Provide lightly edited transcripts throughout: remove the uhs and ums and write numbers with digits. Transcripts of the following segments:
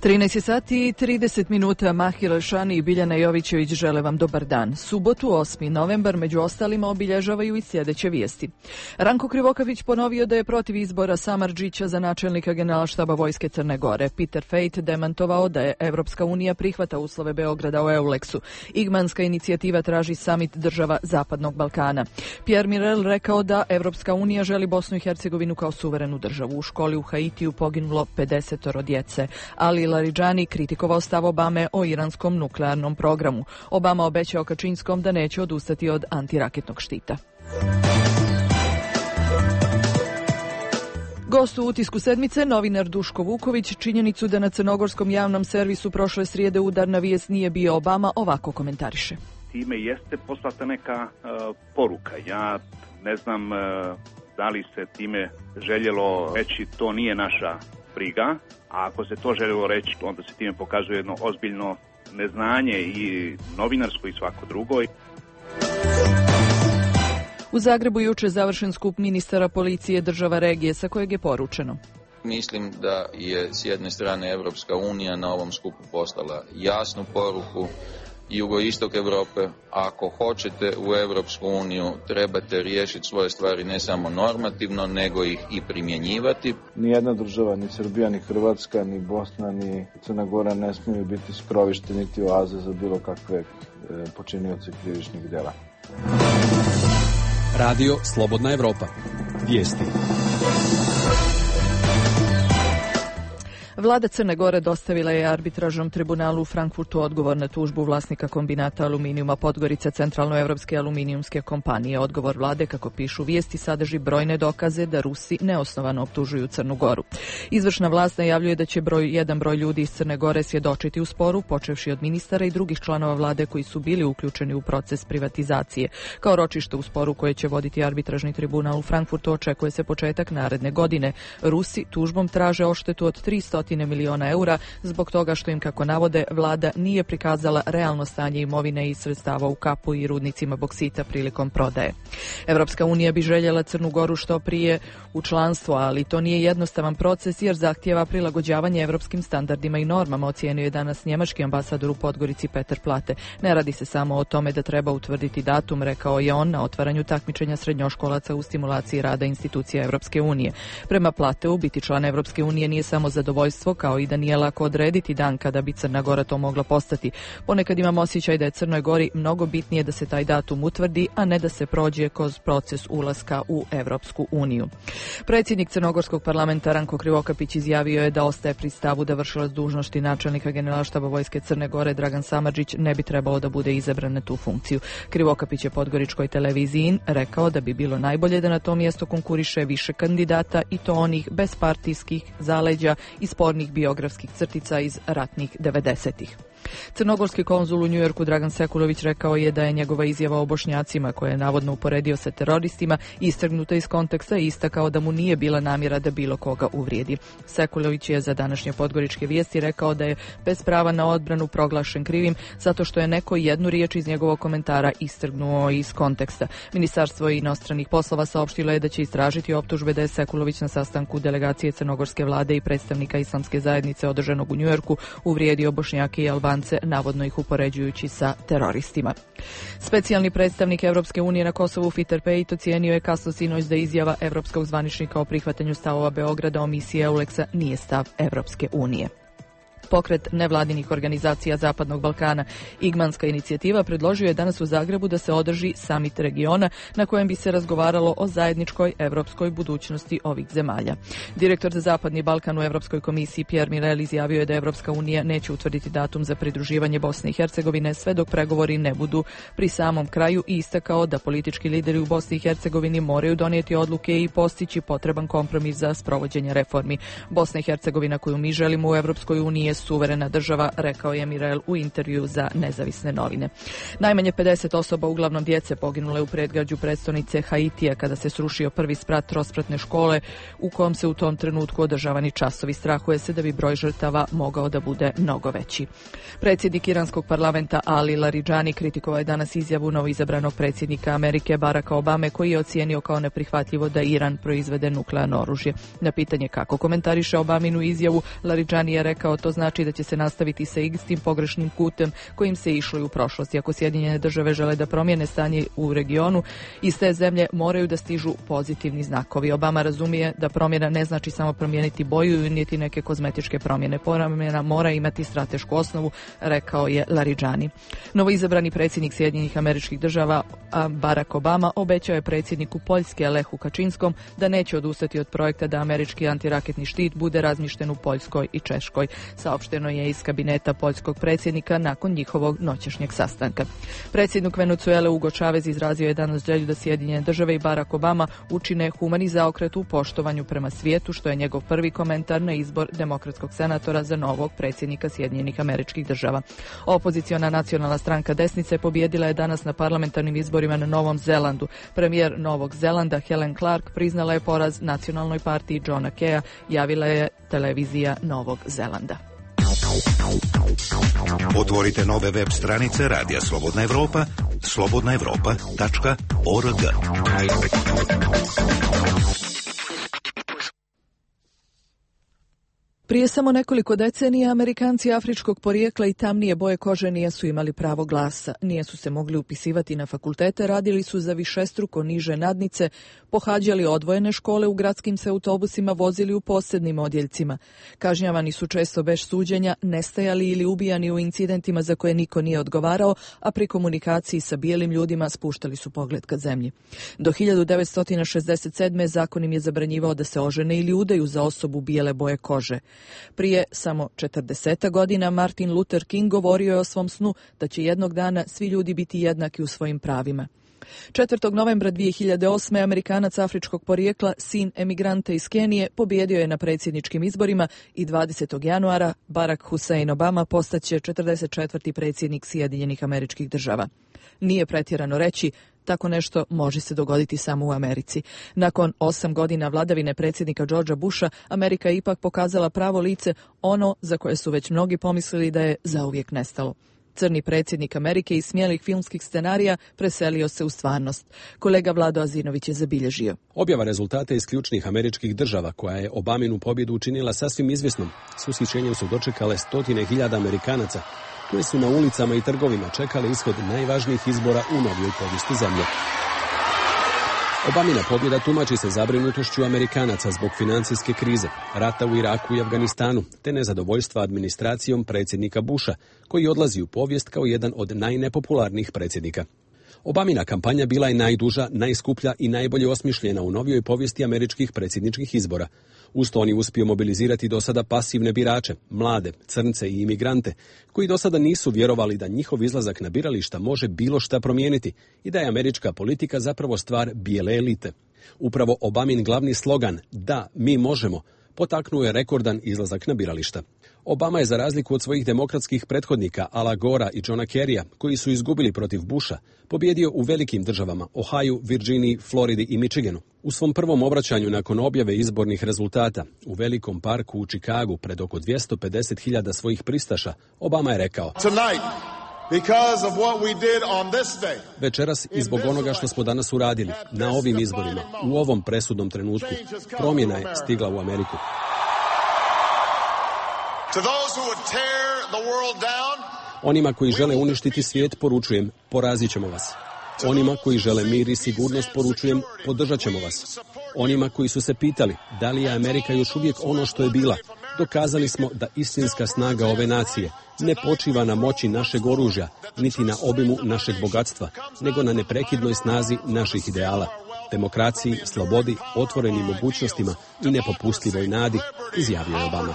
13 sati i 30 minuta. Mahir Elšani i Biljana Jovićević žele vam dobar dan. Subotu 8. novembar među ostalima obilježavaju i sljedeće vijesti. Ranko Krivokapić ponovio da je protiv izbora Samardžića za načelnika Generalštaba Vojske Crne Gore. Peter Fejt demantovao da je Evropska unija prihvata uslove Beograda o Euleksu. Igmanska inicijativa traži samit država Zapadnog Balkana. Pierre Mirel rekao da Evropska unija želi Bosnu i Hercegovinu kao suverenu državu. U školi u Haitiju poginulo 50 djece. Ali Laridžani kritikovao stav Obame o iranskom nuklearnom programu. Obama obećao Kačinskom da neće odustati od antiraketnog štita. Gost u utisku sedmice, novinar Duško Vuković, činjenicu da na crnogorskom javnom servisu prošle srijede udarna vijest nije bio Obama, ovako komentariše. Time jeste poslata neka poruka. Ja ne znam da li se time željelo reći to nije naša briga, a ako se to željelo reći, onda se time pokazuje jedno ozbiljno neznanje i novinarsko i svako drugo. U Zagrebu juče završen skup ministara policije država regije, sa kojeg je poručeno. Mislim da je s jedne strane Evropska unija na ovom skupu poslala jasnu poruku. Jugoistok Europe, ako hoćete u Europsku uniju, trebate riješiti svoje stvari ne samo normativno, nego ih i primjenjivati. Nijedna država, ni Srbija, ni Hrvatska, ni Bosna, ni Crna Gora ne smiju biti skrovište niti oaze za bilo kakve počinioce krivičnih djela. Radio Slobodna Evropa. Vijesti. Vlada Crne Gore dostavila je arbitražnom tribunalu u Frankfurtu odgovor na tužbu vlasnika kombinata aluminijuma Podgorica Centralnoevropske aluminijumske kompanije. Odgovor vlade, kako pišu vijesti, sadrži brojne dokaze da Rusi neosnovano optužuju Crnu Goru. Izvršna vlast najavljuje da će jedan broj ljudi iz Crne Gore svjedočiti u sporu, počevši od ministara i drugih članova vlade koji su bili uključeni u proces privatizacije. Kao ročište u sporu koje će voditi arbitražni tribunal u Frankfurtu očekuje se početak naredne godine. Rusi tužbom traže odštetu od 300 miliona eura zbog toga što im, kako navode, vlada nije prikazala realno stanje imovine i sredstava u kapu i rudnicima boksita prilikom prodaje. Evropska unija bi željela Crnu Goru što prije u članstvo, ali to nije jednostavan proces jer zahtijeva prilagođavanje evropskim standardima i normama, ocijenio je danas njemački ambasador u Podgorici Peter Plate. Ne radi se samo o tome da treba utvrditi datum, rekao je on na otvaranju takmičenja srednjoškolaca u stimulaciji rada institucija Evropske unije. Prema Plateu, biti član Evropske unije nije samo zadovoljstvo, kao i da nije lako odrediti dan kada bi Crna Gora to mogla postati. Ponekad imam osjećaj da je Crnoj Gori mnogo bitnije da se taj datum utvrdi, a ne da se prođe kroz proces ulaska u Evropsku uniju. Predsjednik Crnogorskog parlamenta Ranko Krivokapić izjavio je da ostaje pri stavu da vršilac dužnosti načelnika Generalštaba Vojske Crne Gore Dragan Samardžić ne bi trebalo da bude izabran na tu funkciju. Krivokapić je podgoričkoj televiziji rekao da bi bilo najbolje da na to mjesto konkuriše više kandidata i to onih bez partijskih zaleđa i spornih biografskih crtica iz ratnih 90-ih. Crnogorski konzul u Njujorku Dragan Sekulović rekao je da je njegova izjava o Bošnjacima, koje je navodno uporedio sa teroristima, istrgnuta iz konteksta i istakao da mu nije bila namjera da bilo koga uvrijedi. Sekulović je za današnje podgoričke vijesti rekao da je bez prava na odbranu proglašen krivim zato što je neko jednu riječ iz njegovog komentara istrgnuo iz konteksta. Ministarstvo inostranih poslova saopštilo je da će istražiti optužbe da je Sekulović na sastanku delegacije crnogorske vlade i predstavnika islamske zajednice održanog u Njujorku uvrijedio Bošnjake i Albance, navodno ih upoređujući sa teroristima. Specijalni predstavnik Evropske unije na Kosovu Peter Fejt ocijenio je kasno sinoć da izjava evropskog zvaničnika o prihvatanju stavova Beograda o misiji Euleksa nije stav Evropske unije. Pokret nevladinih organizacija Zapadnog Balkana Igmanska inicijativa predložio je danas u Zagrebu da se održi samit regiona na kojem bi se razgovaralo o zajedničkoj evropskoj budućnosti ovih zemalja. Direktor za Zapadni Balkan u Evropskoj komisiji Pierre Mirel izjavio je da Evropska unija neće utvrditi datum za pridruživanje Bosne i Hercegovine sve dok pregovori ne budu pri samom kraju i istakao da politički lideri u Bosni i Hercegovini moraju donijeti odluke i postići potreban kompromis za sprovođenje reformi. Bosna i Hercegovina koju mi želimo u Evropskoj uniji je suverena država, rekao je Mirel u intervju za nezavisne novine. Najmanje 50 osoba, uglavnom djece, poginule u predgrađu prestonice Haitija kada se srušio prvi sprat trospratne škole u kom se u tom trenutku održavani časovi. Strahuje se da bi broj žrtava mogao da bude mnogo veći. Predsjednik iranskog parlamenta Ali Laridžani kritikovao je danas izjavu novoizabranog predsjednika Amerike Baracka Obame koji je ocijenio kao neprihvatljivo da Iran proizvede nuklearno oružje. Na pitanje kako komentariše Obaminu izjavu, Laridžani je rekao to znači znači da će se nastaviti sa istim pogrešnim putem kojim se išlo i u prošlosti. Ako Sjedinjene države žele da promijene stanje u regionu, iz te zemlje moraju da stižu pozitivni znakovi. Obama razumije da promjena ne znači samo promijeniti boju, niti neke kozmetičke promjene. Promjena mora imati stratešku osnovu, rekao je Laridžani. Novoizabrani predsjednik Sjedinjenih Američkih Država Barack Obama obećao je predsjedniku Poljske Lehu Kačinskom da neće odustati od projekta da američki antiraketni štit bude razmješten u Poljskoj i Češkoj. Saopšteno je iz kabineta poljskog predsjednika nakon njihovog noćašnjeg sastanka. Predsjednik Venezuele Hugo Chavez izrazio je danas želju da Sjedinjene države i Barack Obama učine humani zaokret u poštovanju prema svijetu, što je njegov prvi komentar na izbor demokratskog senatora za novog predsjednika Sjedinjenih Američkih Država. Opoziciona nacionalna stranka desnice pobijedila je danas na parlamentarnim izborima na Novom Zelandu. Premijer Novog Zelanda Helen Clark priznala je poraz nacionalnoj partiji Johna Keya, javila je televizija Novog Zelanda. Otvorite nove web stranice Radija Slobodna Evropa, slobodnaevropa.org. Prije samo nekoliko decenija Amerikanci afričkog porijekla i tamnije boje kože nisu imali pravo glasa, nisu se mogli upisivati na fakultete, radili su za višestruko niže nadnice, pohađali odvojene škole, u gradskim se autobusima vozili u posebnim odjeljcima. Kažnjavani su često bez suđenja, nestajali ili ubijani u incidentima za koje niko nije odgovarao, a pri komunikaciji sa bijelim ljudima spuštali su pogled ka zemlji. Do 1967. zakon im je zabranjivao da se ožene ili udaju za osobu bijele boje kože. Prije samo 40 godina Martin Luther King govorio je o svom snu da će jednog dana svi ljudi biti jednaki u svojim pravima. 4. novembra 2008. Amerikanac afričkog porijekla, sin emigranta iz Kenije, pobijedio je na predsjedničkim izborima i 20. januara Barack Hussein Obama postaće 44. predsjednik Sjedinjenih Američkih Država. Nije pretjerano reći, tako nešto može se dogoditi samo u Americi. Nakon 8 godina vladavine predsjednika Georgea Busha, Amerika je ipak pokazala pravo lice, ono za koje su već mnogi pomislili da je zauvijek nestalo. Crni predsjednik Amerike iz smijelih filmskih scenarija preselio se u stvarnost. Kolega Vlado Azinović je zabilježio. Objava rezultata iz ključnih američkih država, koja je Obaminu pobjedu učinila sasvim izvjesnom, s ushićenjem su dočekale 100.000 Amerikanaca, koji su na ulicama i trgovima čekali ishod najvažnijih izbora u novijoj povijesti zemlje. Obamina pobjeda tumači se zabrinutošću Amerikanaca zbog financijske krize, rata u Iraku i Afganistanu, te nezadovoljstva administracijom predsjednika Busha, koji odlazi u povijest kao jedan od najnepopularnijih predsjednika. Obamina kampanja bila je najduža, najskuplja i najbolje osmišljena u novijoj povijesti američkih predsjedničkih izbora. Uz to on je uspio mobilizirati do sada pasivne birače, mlade, crnce i imigrante, koji do sada nisu vjerovali da njihov izlazak na birališta može bilo šta promijeniti i da je američka politika zapravo stvar bijele elite. Upravo Obamin glavni slogan "Da, mi možemo" potaknuo je rekordan izlazak na birališta. Obama je, za razliku od svojih demokratskih prethodnika Ala Gora i Johna Kerrya, koji su izgubili protiv Busha, pobjedio u velikim državama Ohio, Virginiji, Floridi i Michiganu. U svom prvom obraćanju nakon objave izbornih rezultata u velikom parku u Chicagu pred oko 250.000 svojih pristaša, Obama je rekao: "Večeras i zbog onoga što smo danas uradili na ovim izborima, u ovom presudnom trenutku, promjena je stigla u Ameriku." Onima koji žele uništiti svijet poručujem, porazit ćemo vas. Onima koji žele mir i sigurnost poručujem, podržat ćemo vas. Onima koji su se pitali da li je Amerika još uvijek ono što je bila, dokazali smo da istinska snaga ove nacije ne počiva na moći našeg oružja, niti na obimu našeg bogatstva, nego na neprekidnoj snazi naših ideala, demokraciji, slobodi, otvorenim mogućnostima i nepopustljivoj nadi, izjavio je Obama.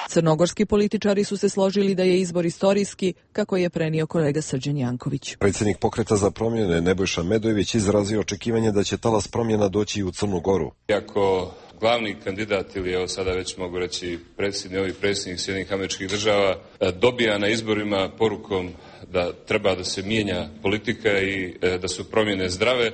Crnogorski političari su se složili da je izbor istorijski, kako je prenio kolega Srđan Janković. Predsjednik Pokreta za promjene Nebojša Medojević izrazio očekivanje da će talas promjena doći i u Crnu Goru. Iako glavni kandidat, ili evo sada već mogu reći predsjednik Sjedinjenih Američkih Država, dobija na izborima porukom da treba da se mijenja politika i da su promjene zdrave,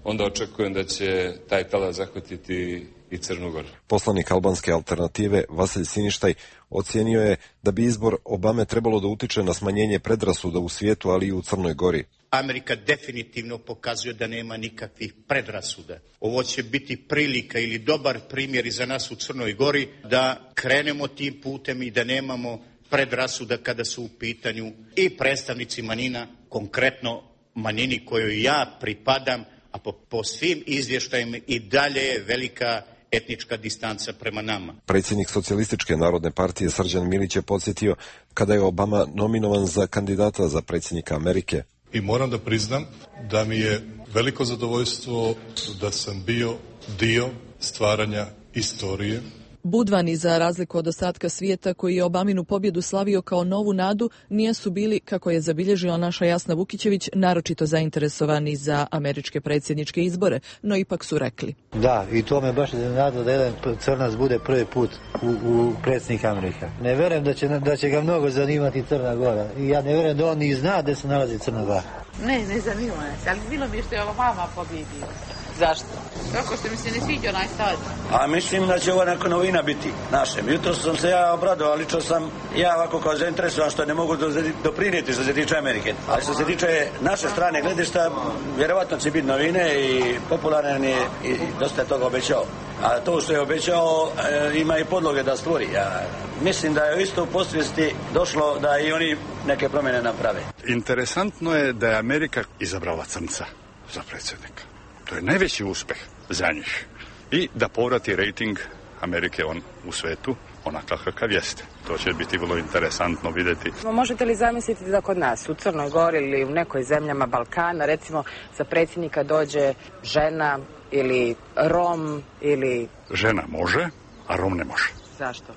onda očekujem da će taj talas zahvatiti i Crnu Goru. Poslanik albanske alternative Vasilj Siništaj ocijenio je da bi izbor Obame trebalo da utiče na smanjenje predrasuda u svijetu, ali i u Crnoj Gori. Amerika definitivno pokazuje da nema nikakvih predrasuda. Ovo će biti prilika ili dobar primjer i za nas u Crnoj Gori da krenemo tim putem i da nemamo predrasuda kada su u pitanju i predstavnici manjina, konkretno manjini kojoj ja pripadam, a po svim izvještajima i dalje je velika etnička distanca prema nama. Predsjednik Socijalističke narodne partije Srđan Milić je podsjetio kada je Obama nominovan za kandidata za predsjednika Amerike. I moram da priznam da mi je veliko zadovoljstvo da sam bio dio stvaranja istorije. Budvani, za razliku od ostatka svijeta koji je Obaminu pobjedu slavio kao novu nadu, nisu bili, kako je zabilježila naša Jasna Vukićević, naročito zainteresovani za američke predsjedničke izbore, no ipak su rekli. Da, i to me baš iznenadilo da jedan crnac bude prvi put u predsjednik Amerika. Ne verujem da će ga mnogo zanimati Crna Gora. I ja ne verujem da on i zna gde se nalazi Crna Gora. Ne zanima se, ali bilo mi je što je Obama pobjedio. Zašto? Tako što mi se ne sviđa onaj stadion. A mislim da će ovo neka novina biti našem. Jutro sam se ja obradovao, lično sam ja ovako kao zainteresovan što ne mogu doprinijeti što se tiče Amerike. Ali što se tiče naše strane gledišta, vjerovatno će biti novine i popularan je i dosta je toga obećao. A to što je obećao ima i podloge da stvori. Ja mislim da je isto u posvijesti došlo da i oni neke promjene naprave. Interesantno je da je Amerika izabrala crnca za predsjednika. To je najveći uspjeh za njih. I da povrati rating Amerike u svetu onakav kakav jeste. To će biti vrlo interesantno vidjeti. Možete li zamisliti da kod nas, u Crnoj Gori ili u nekoj zemljama Balkana, recimo za predsjednika dođe žena ili Rom ili... Žena može, a Rom ne može. Zašto?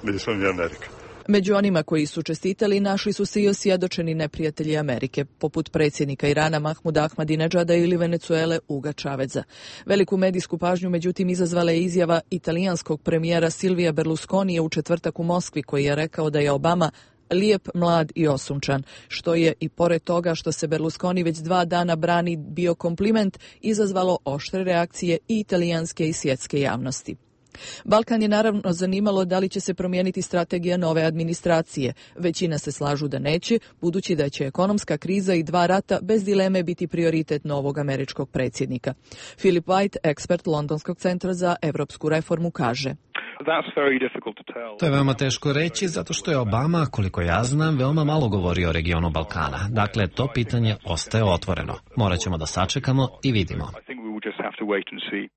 Nismo mi Amerika. Među onima koji su čestitali našli su se i osvjedočeni neprijatelji Amerike, poput predsjednika Irana Mahmuda Ahmadinedžada ili Venezuele Huga Chaveza. Veliku medijsku pažnju međutim izazvala je izjava italijanskog premijera Silvija Berlusconija u četvrtak u Moskvi, koji je rekao da je Obama lijep, mlad i osunčan, što je i pored toga što se Berlusconi već 2 dana brani bio kompliment, izazvalo oštre reakcije i italijanske i svjetske javnosti. Balkan je naravno zanimalo da li će se promijeniti strategija nove administracije. Većina se slažu da neće, budući da će ekonomska kriza i 2 rata bez dileme biti prioritet novog američkog predsjednika. Philip White, ekspert Londonskog centra za evropsku reformu, kaže: To je veoma teško reći, zato što je Obama, koliko ja znam, veoma malo govorio o regionu Balkana. Dakle, to pitanje ostaje otvoreno. Morat ćemo da sačekamo i vidimo.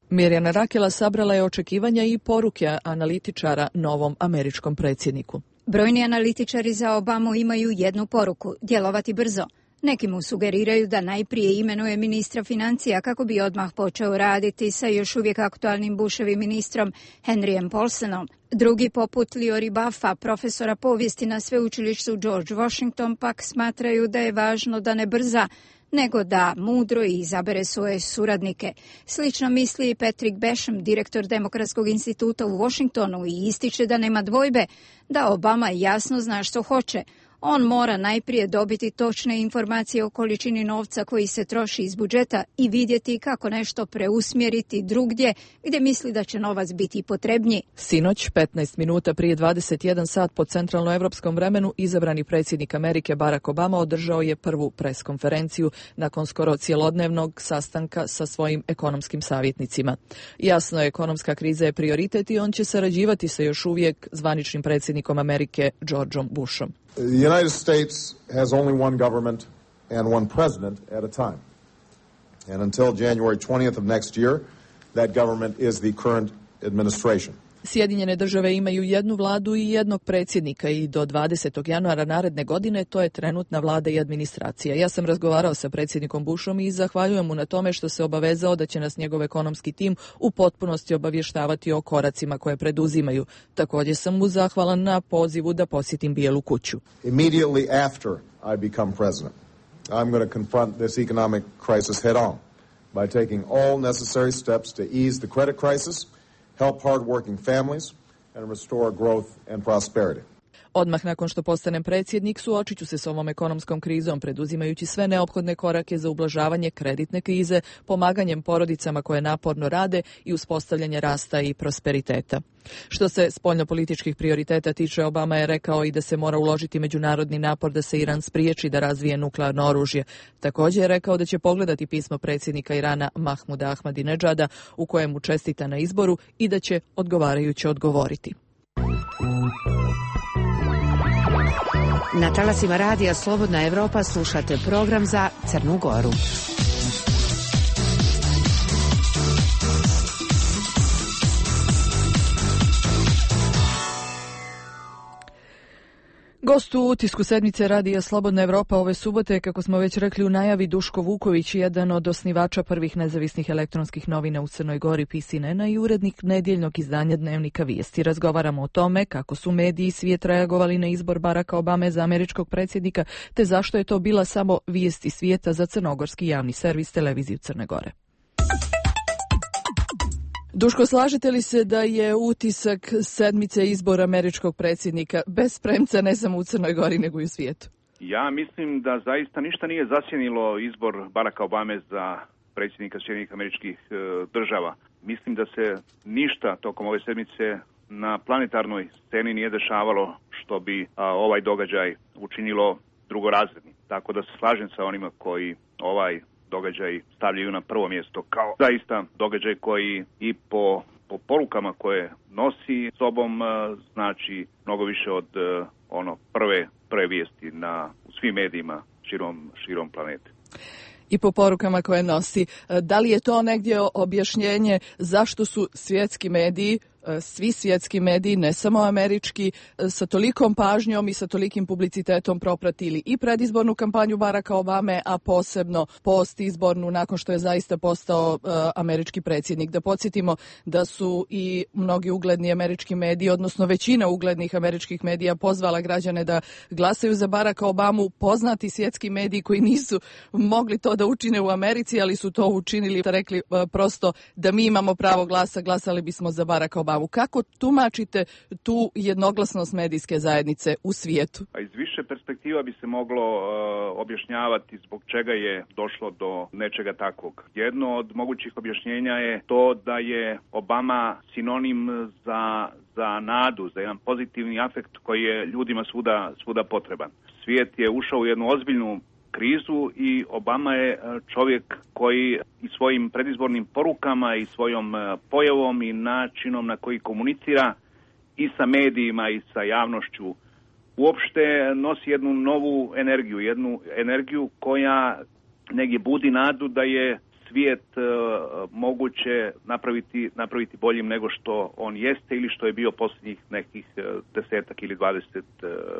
Mirjana Rakela sabrala je očekivanja i poruke analitičara novom američkom predsjedniku. Brojni analitičari za Obamu imaju jednu poruku: djelovati brzo. Neki mu sugeriraju da najprije imenuje ministra financija kako bi odmah počeo raditi sa još uvijek aktualnim Bushovim ministrom Henryjem Paulsonom. Drugi, poput Liori Buffa, profesora povijesti na sveučilištu George Washington, pak smatraju da je važno da ne brza, nego da mudro izabere svoje suradnike. Slično misli i Patrick Basham, direktor Demokratskog instituta u Washingtonu, i ističe da nema dvojbe da Obama jasno zna što hoće. On mora najprije dobiti točne informacije o količini novca koji se troši iz budžeta i vidjeti kako nešto preusmjeriti drugdje gdje misli da će novac biti potrebniji. Sinoć, 15 minuta prije 21 sat po centralnoevropskom vremenu, izabrani predsjednik Amerike Barack Obama održao je prvu preskonferenciju nakon skoro cjelodnevnog sastanka sa svojim ekonomskim savjetnicima. Jasno je, ekonomska kriza je prioritet i on će sarađivati sa još uvijek zvaničnim predsjednikom Amerike Georgeom Bushom. The United States has only one government and one president at a time. And until January 20th of next year, that government is the current administration. Sjedinjene države imaju jednu vladu i jednog predsjednika i do 20. januara naredne godine to je trenutna vlada i administracija. Ja sam razgovarao sa predsjednikom Bushom i zahvaljujem mu na tome što se obavezao da će nas njegov ekonomski tim u potpunosti obavještavati o koracima koje preduzimaju. Također sam mu zahvalan na pozivu da posjetim Bijelu kuću. Immediately after I become president, I'm going to confront this economic crisis head on by taking all necessary steps to ease the credit crisis, help hard-working families, and restore growth and prosperity. Odmah nakon što postanem predsjednik, suočit ću se s ovom ekonomskom krizom, preduzimajući sve neophodne korake za ublažavanje kreditne krize, pomaganjem porodicama koje naporno rade i uspostavljanje rasta i prosperiteta. Što se spoljnopolitičkih prioriteta tiče, Obama je rekao i da se mora uložiti međunarodni napor da se Iran spriječi da razvije nuklearno oružje. Također je rekao da će pogledati pismo predsjednika Irana Mahmuda Ahmadinedžada u kojem mu čestita na izboru i da će odgovarajuće odgovoriti. Na talasima radija Slobodna Evropa slušate program za Crnu Goru. Gost u utisku sedmice radija Slobodna Evropa ove subote, kako smo već rekli u najavi, Duško Vuković, jedan od osnivača prvih nezavisnih elektronskih novina u Crnoj Gori, PCN-a, i urednik nedjeljnog izdanja Dnevnika Vijesti. Razgovaramo o tome kako su mediji i svijet reagovali na izbor Baracka Obame za američkog predsjednika, te zašto je to bila samo vijesti svijeta za crnogorski javni servis televiziju Crne Gore. Duško, slažete li se da je utisak sedmice izbora američkog predsjednika bez premca ne samo u Crnoj Gori nego i u svijetu? Ja mislim da zaista ništa nije zasjenilo izbor Baracka Obame za predsjednika Sjedinjenih Američkih Država. Mislim da se ništa tokom ove sedmice na planetarnoj sceni nije dešavalo što bi ovaj događaj učinilo drugorazrednim. Tako da se slažem sa onima koji ovaj događaj stavljaju na prvo mjesto kao zaista događaj koji i po porukama koje nosi sobom znači mnogo više od prve vijesti u svim medijima širom planete. I po porukama koje nosi. Da li je to negdje objašnjenje zašto su svjetski mediji, svi svjetski mediji, ne samo američki, sa tolikom pažnjom i sa tolikim publicitetom propratili i predizbornu kampanju Baracka Obame, a posebno postizbornu nakon što je zaista postao američki predsjednik? Da podsjetimo da su i mnogi ugledni američki mediji, odnosno većina uglednih američkih medija, pozvala građane da glasaju za Baracka Obamu. Poznati svjetski mediji koji nisu mogli to da učine u Americi, ali su to učinili, rekli prosto da mi imamo pravo glasa, glasali bismo za Baracka Obama. Kako tumačite tu jednoglasnost medijske zajednice u svijetu? Iz više perspektiva bi se moglo objašnjavati zbog čega je došlo do nečega takvog. Jedno od mogućih objašnjenja je to da je Obama sinonim za nadu, za jedan pozitivni afekt koji je ljudima svuda potreban. Svijet je ušao u jednu ozbiljnu krizu i Obama je čovjek koji i svojim predizbornim porukama i svojom pojavom i načinom na koji komunicira i sa medijima i sa javnošću uopšte nosi jednu novu energiju, jednu energiju koja negdje budi nadu da je svijet moguće napraviti boljim nego što on jeste ili što je bio posljednjih nekih 10 ili 20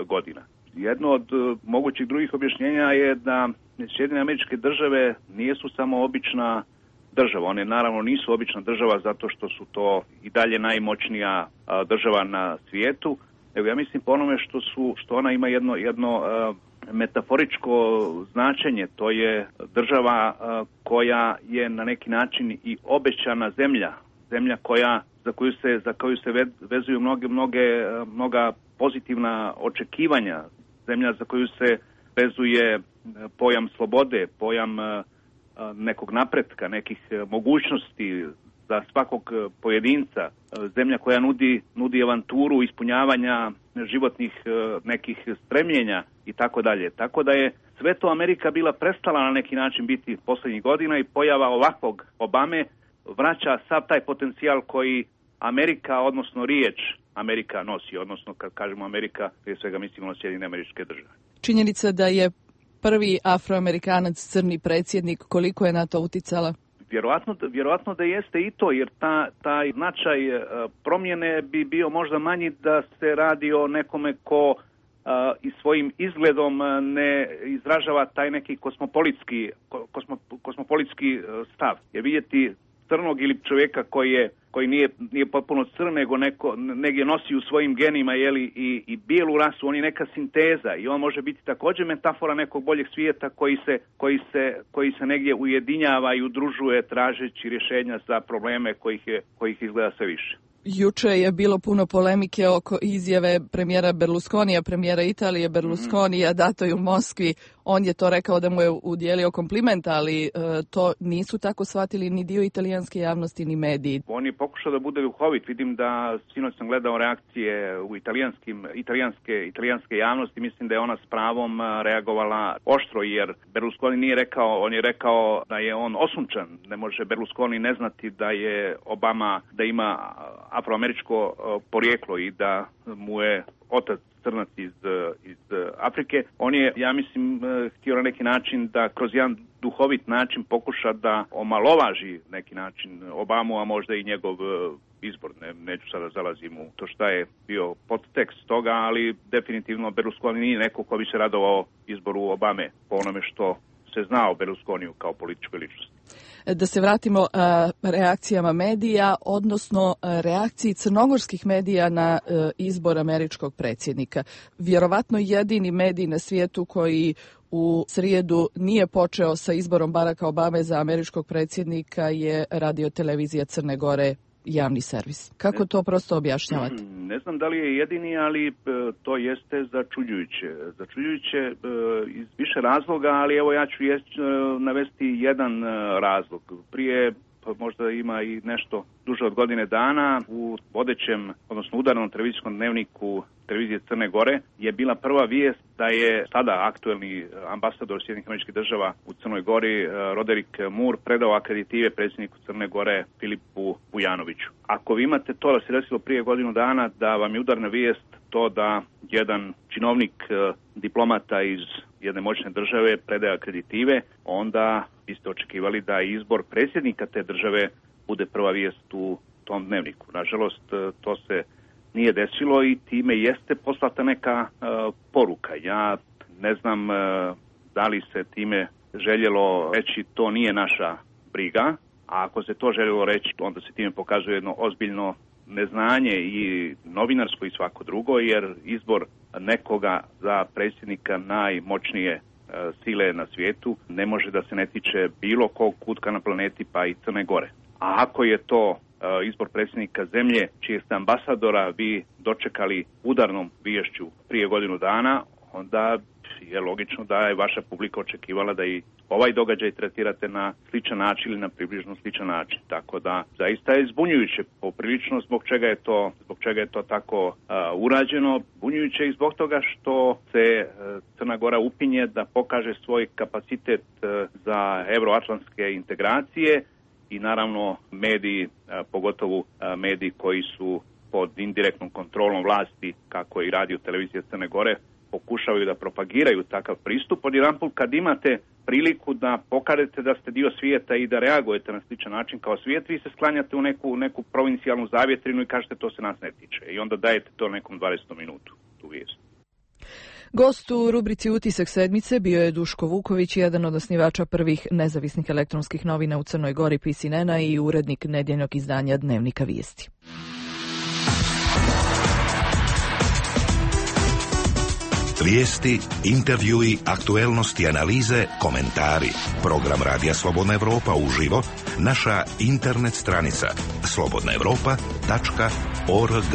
godina. Jedno od mogućih drugih objašnjenja je da Sjedinjene Američke Države nisu samo obična država. One naravno nisu obična država zato što su to i dalje najmoćnija država na svijetu, nego ja mislim po onome što ona ima jedno metaforičko značenje. To je država koja je na neki način i obećana zemlja za koju se vezuju mnoga pozitivna očekivanja, zemlja za koju se vezuje pojam slobode, pojam nekog napretka, nekih mogućnosti za svakog pojedinca, zemlja koja nudi avanturu ispunjavanja životnih nekih stremljenja i tako dalje. Tako da je sve to Amerika bila prestala na neki način biti posljednjih godina i pojava ovakvog Obame vraća sav taj potencijal koji Amerika, odnosno riječ Amerika nosi, odnosno kad kažemo Amerika, prije svega mislimo na Sjedinjene Američke Države. Činjenica da je prvi Afroamerikanac crni predsjednik, koliko je na to uticala? Vjerojatno da jeste i to, jer taj značaj promjene bi bio možda manji da se radi o nekome ko i svojim izgledom ne izražava taj neki kosmopolitski stav. Jer vidjeti crnog ili čovjeka koji nije potpuno crn, nego negdje nosi u svojim genima i bijelu rasu, on je neka sinteza i on može biti također metafora nekog boljeg svijeta koji se negdje ujedinjava i udružuje tražeći rješenja za probleme kojih izgleda sve više. Juče je bilo puno polemike oko izjave premijera Berlusconija, premijera Italije Berlusconija, datoj u Moskvi. On je to rekao da mu je udjelio kompliment, ali to nisu tako shvatili ni dio italijanske javnosti ni mediji. On je pokušao da bude duhovit. Vidim da sinoć sam gledao reakcije u italijanske javnosti. Mislim da je ona s pravom reagovala oštro, jer Berlusconi nije rekao, on je rekao da je on osunčan. Ne može Berlusconi ne znati da je Obama, da ima afroameričko porijeklo i da mu je otac crnac iz Afrike. On je, ja mislim, htio na neki način da kroz jedan duhovit način pokuša da omalovaži neki način Obamu, a možda i njegov izbor. Neću sada zalazim u to šta je bio podtekst toga, ali definitivno Berlusconi nije neko ko bi se radovao izboru Obame po onome što se zna o Berlusconiju kao političkoj ličnosti. Da se vratimo reakcijama medija, odnosno reakciji crnogorskih medija na izbor američkog predsjednika. Vjerovatno jedini medij na svijetu koji u srijedu nije počeo sa izborom Baracka Obame za američkog predsjednika je radiotelevizija Crne Gore, javni servis. Kako to prosto objašnjavate? Ne znam da li je jedini, ali to jeste začuđujuće. Začuđujuće iz više razloga, ali evo ja ću navesti jedan razlog. Prije možda ima i nešto duže od godine dana u vodećem, odnosno udarnom televizijskom dnevniku televizije Crne Gore je bila prva vijest da je sada aktuelni ambasador Sjedinjenih Američkih Država u Crnoj Gori, Roderick Moore, predao akreditive predsjedniku Crne Gore Filipu Vujanoviću. Ako vi imate to da se desilo prije godinu dana, da vam je udarna vijest to da jedan činovnik diplomata iz jedne moćne države predaje akreditive, onda biste očekivali da izbor predsjednika te države bude prva vijest u tom dnevniku. Nažalost, to se nije desilo i time jeste poslata neka poruka. Ja ne znam da li se time željelo reći to nije naša briga, a ako se to željelo reći, onda se time pokazuje jedno ozbiljno neznanje i novinarsko i svako drugo, jer izbor nekoga za predsjednika najmoćnije sile na svijetu ne može da se ne tiče bilo kog kutka na planeti, pa i Crne Gore. A ako je to izbor predsjednika zemlje čijeg ste ambasadora vi dočekali udarnom viješću prije godinu dana, onda je logično da je vaša publika očekivala da i ovaj događaj tretirate na sličan način ili na približno sličan način. Tako da zaista je zbunjujuće poprilično zbog čega je to tako urađeno. Zbunjujuće i zbog toga što se Crna Gora upinje da pokaže svoj kapacitet za euroatlantske integracije i naravno mediji, pogotovo mediji koji su pod indirektnom kontrolom vlasti, kako i radio televizija Crne Gore, pokušavaju da propagiraju takav pristup. Odjedanput kad imate priliku da pokažete da ste dio svijeta i da reagujete na sličan način kao svijet, vi se sklanjate u neku provincijalnu zavjetrinu i kažete to se nas ne tiče. I onda dajete to nekom 20 minutu, tu vijest. Gost u rubrici Utisak sedmice bio je Duško Vuković, jedan od osnivača prvih nezavisnih elektronskih novina u Crnoj Gori PCN-a i urednik nedjeljnog izdanja Dnevnika vijesti. Vijesti, intervjui, aktuelnosti, analize, komentari. Program Radija Slobodna Evropa uživo, naša internet stranica slobodnaevropa.org.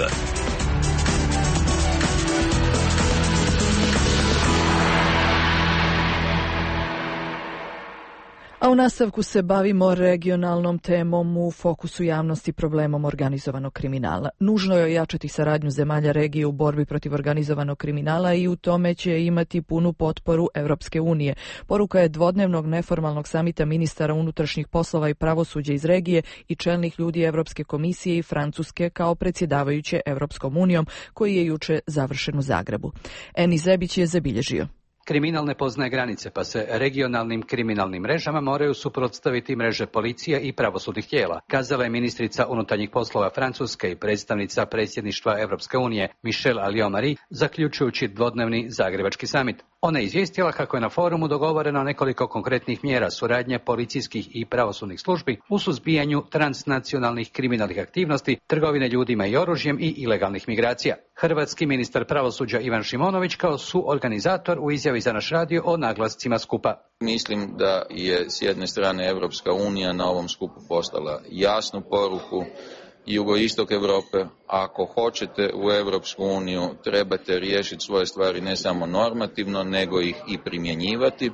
A u nastavku se bavimo regionalnom temom u fokusu javnosti problemom organizovanog kriminala. Nužno je ojačati saradnju zemalja regije u borbi protiv organizovanog kriminala i u tome će imati punu potporu Europske unije. Poruka je dvodnevnog neformalnog samita ministara unutrašnjih poslova i pravosuđa iz regije i čelnih ljudi Europske komisije i Francuske kao predsjedavajuće Europskom unijom, koji je juče završen u Zagrebu. Eni Zebić je zabilježio. Kriminal ne poznaje granice, pa se regionalnim kriminalnim mrežama moraju suprotstaviti mreže policije i pravosudnih tijela, kazala je ministrica unutarnjih poslova Francuske i predstavnica predsjedništva Europske unije Michelle Alliot-Marie, zaključujući dvodnevni zagrebački samit. Ona je izvijestila kako je na forumu dogovoreno nekoliko konkretnih mjera suradnje policijskih i pravosudnih službi u suzbijanju transnacionalnih kriminalnih aktivnosti, trgovine ljudima i oružjem i ilegalnih migracija. Hrvatski ministar pravosuđa Ivan Šimonović kao suorganizator u izjavi za naš radio o naglascima skupa. Mislim da je s jedne strane Europska unija na ovom skupu poslala jasnu poruku jugoistok Europe. Ako hoćete u Europsku uniju, trebate riješiti svoje stvari ne samo normativno, nego ih i primjenjivati.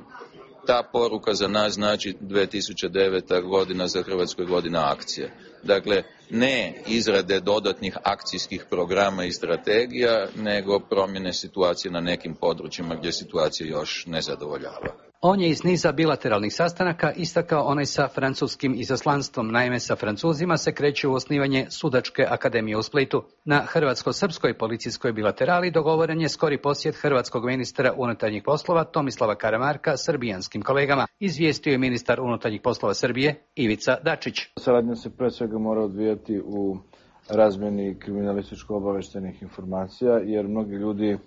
Ta poruka za nas znači 2009. godina za Hrvatsku je godina akcije. Dakle, ne izrade dodatnih akcijskih programa i strategija, nego promjene situacije na nekim područjima gdje situacija još ne zadovoljava. On je iz niza bilateralnih sastanaka istakao onaj sa francuskim izaslanstvom. Naime, sa Francuzima se kreće u osnivanje Sudačke akademije u Splitu. Na hrvatsko-srpskoj policijskoj bilaterali dogovoren je skori posjet hrvatskog ministra unutarnjih poslova Tomislava Karamarka srbijanskim kolegama, izvijestio je ministar unutarnjih poslova Srbije Ivica Dačić. Saradnja se pre svega mora odvijati u razmjeni kriminalističko-obaveštenih informacija, jer mnogi ljudi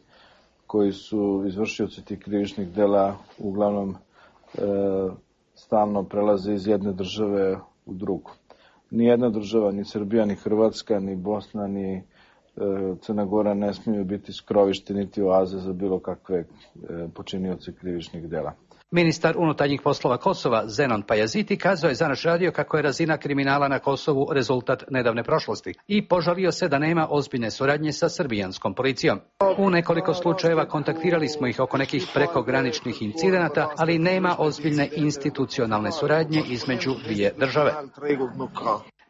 koji su izvršioci tih krivičnih dela uglavnom stalno prelaze iz jedne države u drugu. Nijedna država, ni Srbija, ni Hrvatska, ni Bosna, ni Crna Gora ne smiju biti skrovište niti oaze za bilo kakve počinioce krivičnih dela. Ministar unutarnjih poslova Kosova Zenon Pajaziti kazao je za naš radio kako je razina kriminala na Kosovu rezultat nedavne prošlosti i požalio se da nema ozbiljne suradnje sa srbijanskom policijom. U nekoliko slučajeva kontaktirali smo ih oko nekih prekograničnih incidenata, ali nema ozbiljne institucionalne suradnje između dvije države.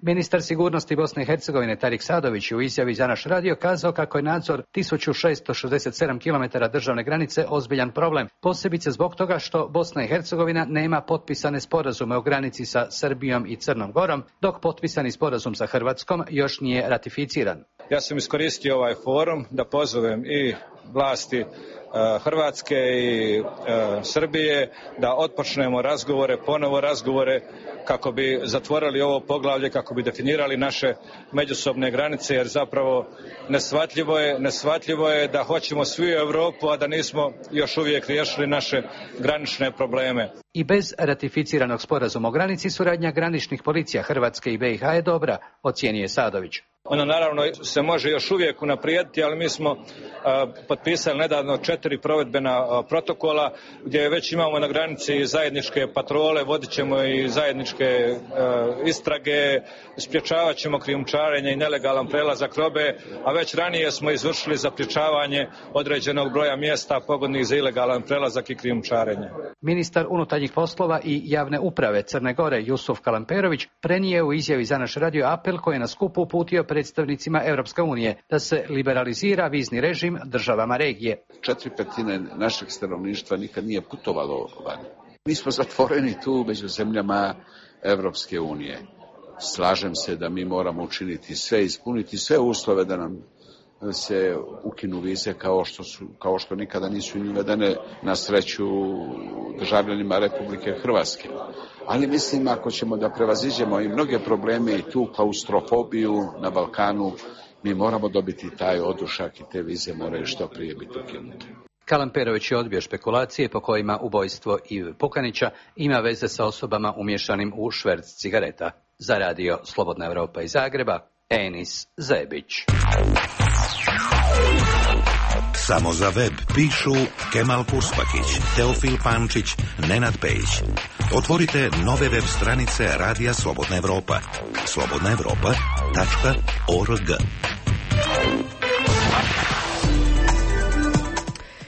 Ministar sigurnosti Bosne i Hercegovine Tarik Sadović u izjavi za naš radio kazao kako je nadzor 1667 km državne granice ozbiljan problem, posebice zbog toga što Bosna i Hercegovina nema potpisane sporazume o granici sa Srbijom i Crnom Gorom, dok potpisani sporazum sa Hrvatskom još nije ratificiran. Ja sam iskoristio ovaj forum da pozovem i vlasti Hrvatske i Srbije da otpočnemo ponovo razgovore kako bi zatvorili ovo poglavlje, kako bi definirali naše međusobne granice, jer zapravo neshvatljivo je da hoćemo svi u Europu, a da nismo još uvijek riješili naše granične probleme. I bez ratificiranog sporazuma o granici suradnja graničnih policija Hrvatske i BiH je dobra, ocijenio Sadović. Ona naravno se može još uvijek unaprijediti, ali mi smo potpisali nedavno 4 provedbena protokola gdje već imamo na granici zajedničke patrole, vodit ćemo i zajedničke istrage, sprječavat ćemo krijumčarenje i nelegalan prelazak robe, a već ranije smo izvršili zapriječavanje određenog broja mjesta pogodnih za ilegalan prelazak i krijumčarenje. Ministar unutarnjih poslova i javne uprave Crne Gore Jusuf Kalamperović prenio u izjavi za naš radio apel koji je na skupu uputio predstavnicima Europske unije da se liberalizira vizni režim državama regije. 4/5 našeg stanovništva nikad nije putovalo van. Mi smo zatvoreni tu među zemljama Europske unije. Slažem se da mi moramo učiniti sve, ispuniti sve uslove da nam se ukinu vize kao što nikada nisu uvedene na sreću državljanima Republike Hrvatske. Ali mislim ako ćemo da prevaziđemo i mnoge probleme i tu klaustrofobiju na Balkanu, mi moramo dobiti taj odušak i te vize moraju što prije biti ukinute. Kalamperović je odbio špekulacije po kojima ubojstvo Ive Pukanića ima veze sa osobama umješanim u šverc cigareta. Za radio Slobodna Europa iz Zagreba, Enis Zebić. Samo za web pišu Kemal Purspakić, Teofil Pančić, Nenad Pejić. Otvorite nove web stranice Radija Slobodna Evropa. slobodnaevropa.org.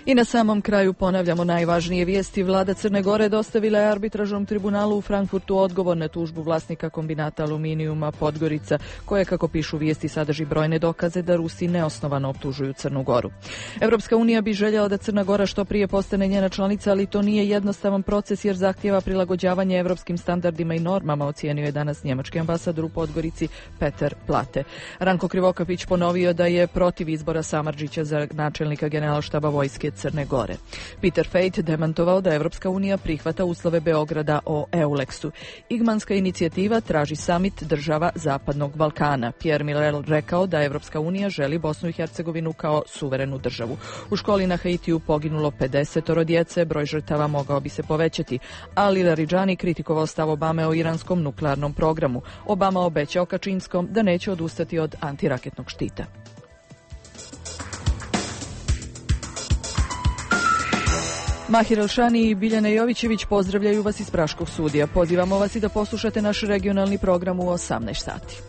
I na samom kraju ponavljamo najvažnije vijesti. Vlada Crne Gore dostavila je arbitražnom tribunalu u Frankfurtu odgovor na tužbu vlasnika kombinata aluminijuma Podgorica, koje, kako pišu vijesti, sadrži brojne dokaze da Rusi neosnovano optužuju Crnu Goru. Europska unija bi željela da Crna Gora što prije postane njena članica, ali to nije jednostavan proces jer zahtijeva prilagođavanje europskim standardima i normama, ocijenio je danas njemački ambasador u Podgorici Peter Plate. Ranko Krivokapić ponovio da je protiv izbora Samardžića za načelnika generalštaba vojske Crne Gore. Peter Fejt demantovao da Evropska unija prihvata uslove Beograda o EULEX-u. Igmanska inicijativa traži samit država Zapadnog Balkana. Pierre Miller rekao da Evropska unija želi Bosnu i Hercegovinu kao suverenu državu. U školi na Haitiju poginulo 50 djece, broj žrtava mogao bi se povećati, ali Laridžani kritikovao stav Obame o iranskom nuklearnom programu. Obama obećao Kačinskom da neće odustati od antiraketnog štita. Mahir Elšani i Biljana Jovićević pozdravljaju vas iz Praškog studija. Pozivamo vas i da poslušate naš regionalni program u 18 sati.